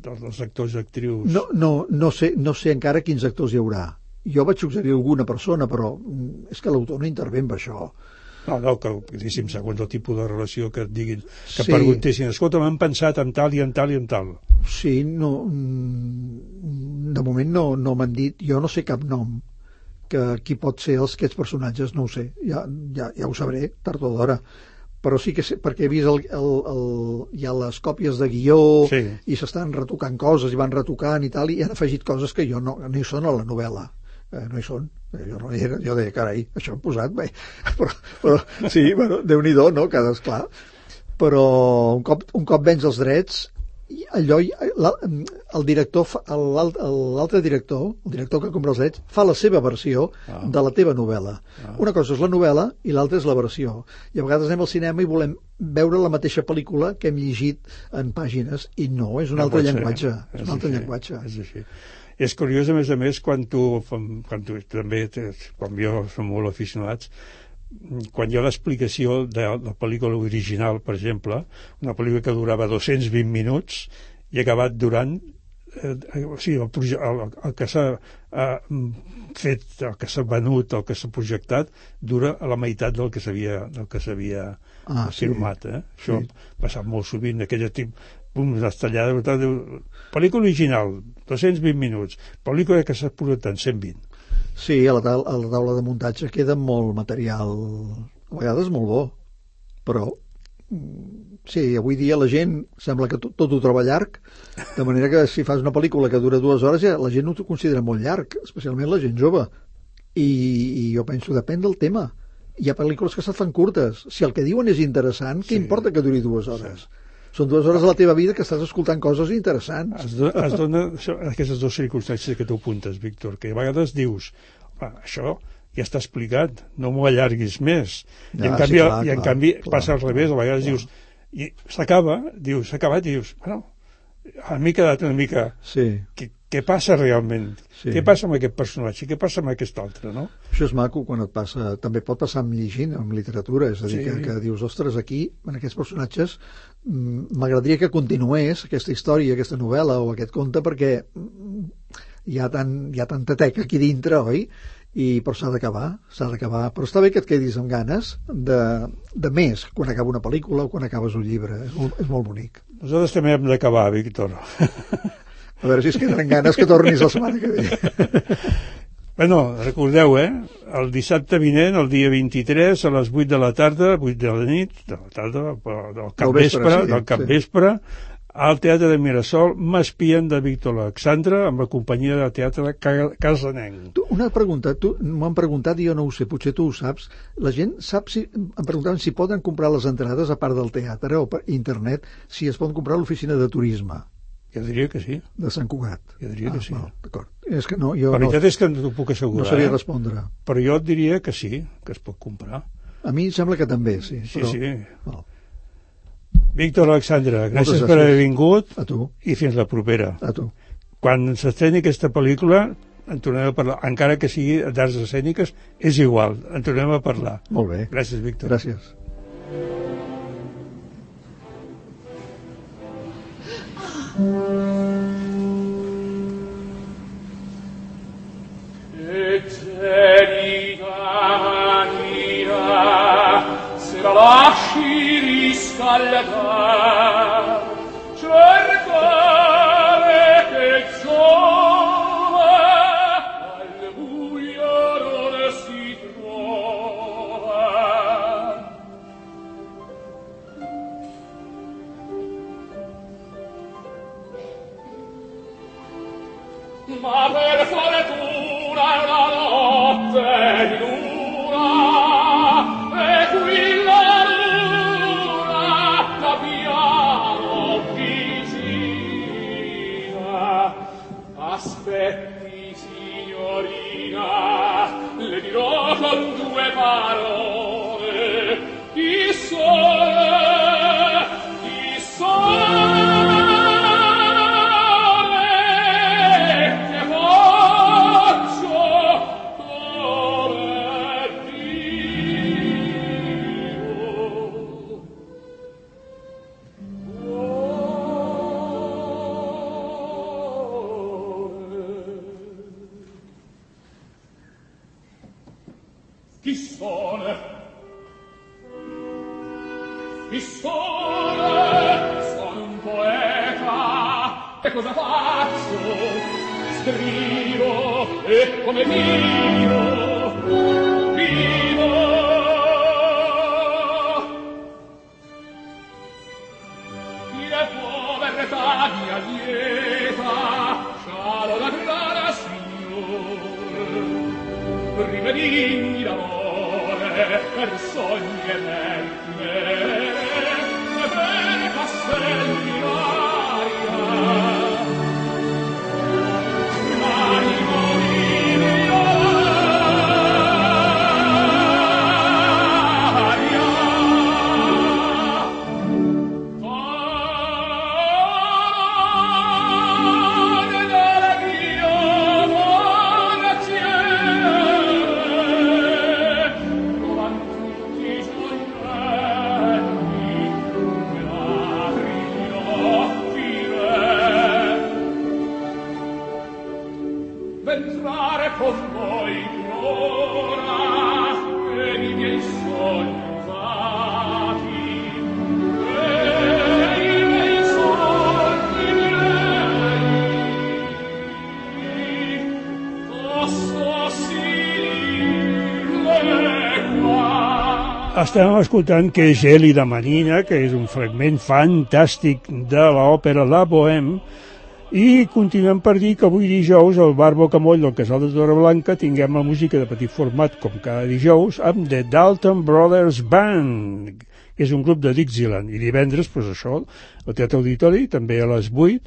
de, dels actors i actrius? No, no, no, sé, no sé encara quins actors hi haurà. Jo vaig suggerir alguna persona, però és que l'autor no intervé amb això. No, no, que, diguéssim, segons el tipus de relació que et diguin, que Sí. preguntessin, escolta, m'han pensat en tal i en tal i en tal. Sí, no, mm, de moment no, no m'han dit, jo no sé cap nom, que qui pot ser els, aquests personatges, no ho sé, ja, ja, ja ho sabré, tard o d'hora, però sí que sé, perquè he vist el, el, el, hi ha les còpies de guió Sí. i s'estan retocant coses i van retocant i tal, i han afegit coses que jo no, no hi són a la novel·la. Eh, no hi són, eh, jo, no hi era, jo deia, carai, això hem posat bé, però, però sí, bueno, Déu-n'hi-do, no?, cada esclar, però un cop, un cop vens els drets, i allò, la, el director, fa- el- l'altre director, el director que compra els drets, fa la seva versió Ah. de la teva novel·la. Ah. Una cosa és la novel·la i l'altra és la versió. I a vegades anem al cinema i volem veure la mateixa pel·lícula que hem llegit en pàgines, i no, és un No altre pot ser. llenguatge. És És un altre així, llenguatge. És així. És curiós, a més a més, quan tu, quan tu també, quan jo som molt aficionats, quan hi ha l'explicació de la pel·lícula original, per exemple, una pel·lícula que durava dos-cents vint minuts i ha acabat durant eh, o sigui, el, proje- el, el que s'ha eh, fet, el que s'ha venut, el que s'ha projectat, dura a la meitat del que s'havia del que s'havia Ah, sí. filmat. Eh? Això Sí. ha passat molt sovint, aquella tip, pum, destallada, diu, pel·lícula original, dos-cents vint minuts, pel·lícula que s'ha posat en cent vint. Sí, a la, taula, a la taula de muntatge queda molt material, a vegades molt bo, però mm, sí, avui dia la gent sembla que tot, tot ho troba llarg, de manera que si fas una pel·lícula que dura dues hores ja la gent no t'ho considera molt llarg, especialment la gent jove, i, i jo penso, depèn del tema. Hi ha pel·lícules que se't fan curtes, si el que diuen és interessant, què Sí. importa que duri dues hores? Són dues hores de la teva vida que estàs escoltant coses interessants. Es, do, es dona això- aquestes dues circumstàncies que tu apuntes, Víctor, que a vegades dius, "Home, això ja està explicat, no m'ho allarguis més". I Ja, en sí, canvi, clar, i en clar, canvi clar, passa al revés, a vegades clar. dius, i s'acaba, dius, s'ha acabat, i dius, bueno, a mi m'he quedat una mica... Sí, Què, què passa realment? Sí. Què passa amb aquest personatge? Què passa amb aquest altre, no? això és maco quan et passa, també pot passar amb llegint, amb literatura, és a dir, Sí. que, que dius, ostres, aquí, en aquests personatges, mm, m'agradaria que continués aquesta història, aquesta novel·la o aquest conte, perquè mm, hi ha, tant, hi ha tanta teca aquí dintre, oi? I, però s'ha d'acabar, s'ha d'acabar. Però està bé que et quedis amb ganes de, de més, quan acaba una pel·lícula o quan acabes un llibre. És molt, és molt bonic. Nosaltres també hem d'acabar, Víctor. A veure si es queden ganes que tornis la setmana que ve. Bueno, recordeu, eh? El dissabte vinent, el dia vint-i-tres, a les vuit de la tarda, vuit de la nit, de la tarda, però del capvespre, vespre, sí, del capvespre, sí. al Teatre de Mirasol, M'espien de Víctor Alexandre, amb la companyia de teatre Ca- Casanenc. Tu, una pregunta, tu m'ho han preguntat i jo no ho sé, potser tu ho saps. La gent sap si, em preguntaven si poden comprar les entrades a part del teatre o per internet, si es poden comprar a l'oficina de turisme Jo diria que sí. de Sant Cugat. Jo diria ah, que sí. Val, d'acord. És que no, jo La no, veritat és que no t'ho puc no assegurar, sabia eh? respondre. Però jo et diria que sí, que es pot comprar. A mi em sembla que també, sí. Sí, però, sí. Val, Víctor Alexandre, gràcies gràcies. per haver vingut a tu, i fins la propera. a tu. Quan s'estreni aquesta pel·lícula en tornem a parlar, encara que sigui d'arts escèniques, és igual, en tornem a parlar. Molt bé. Gràcies, Víctor. Gràcies. Eterita mia, se la lasci riscaldar, cercare che giova al buio non si trova. Ma per fortuna una notte di luna, e qui la luna da piano vicina. Aspetti, signorina, le dirò con due parole, chi sono, chi sono. Chi sono? il sole, sono un poeta, e cosa faccio? Scrivo, e come vivo, vivo. Chi è povertà mia lieta, scialo la grana, signor, rivedimi l'amore per sogni eterni, e per castelli l'aria. Estem escoltant que és Gèlida Manina, que és un fragment fantàstic de l'òpera La Bohème, i continuem per dir que avui dijous al Bar Bocamoll del Casal de Torreblanca tinguem la música de petit format com cada dijous amb The Dalton Brothers Band, que és un grup de Dixieland, i divendres, doncs això, al Teatre Auditori, també a les vuit,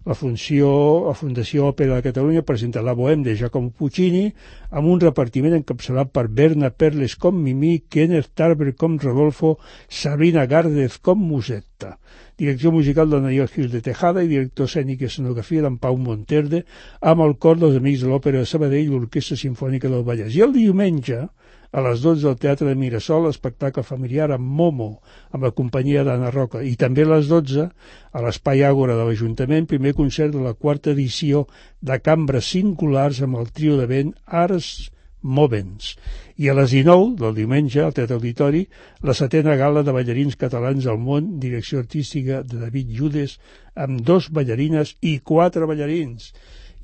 la funció, la Fundació Òpera de Catalunya presenta La Bohème de Giacomo Puccini amb un repartiment encapçalat per Berna Perles com Mimí, Kenneth Tarver com Rodolfo, Sabrina Gárdez com Musetta. Direcció musical de Nayo Gil de Tejada i director escènic i escenografia d'en Pau Monterde amb el cor dels Amics de l'Òpera de Sabadell i l'Orquestra Simfònica del Vallès. I el diumenge, a les dotze al Teatre de Mirasol, espectacle familiar amb Momo, amb la companyia d'Anna Roca. I també a les dotze, a l'Espai Àgora de l'Ajuntament, primer concert de la quarta edició de Cambres Singulars amb el trio de vent Ars Movens. I a les dinou del diumenge, al Teatre Auditori, la setena gala de ballarins catalans al món, direcció artística de David Judes, amb dos ballarines i quatre ballarins.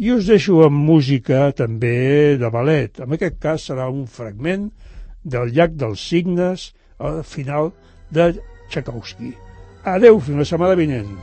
I us deixo amb música també de ballet. En aquest cas serà un fragment del Llac dels Cignes al final de Tchaikovsky. Adeu, fins la setmana vinent.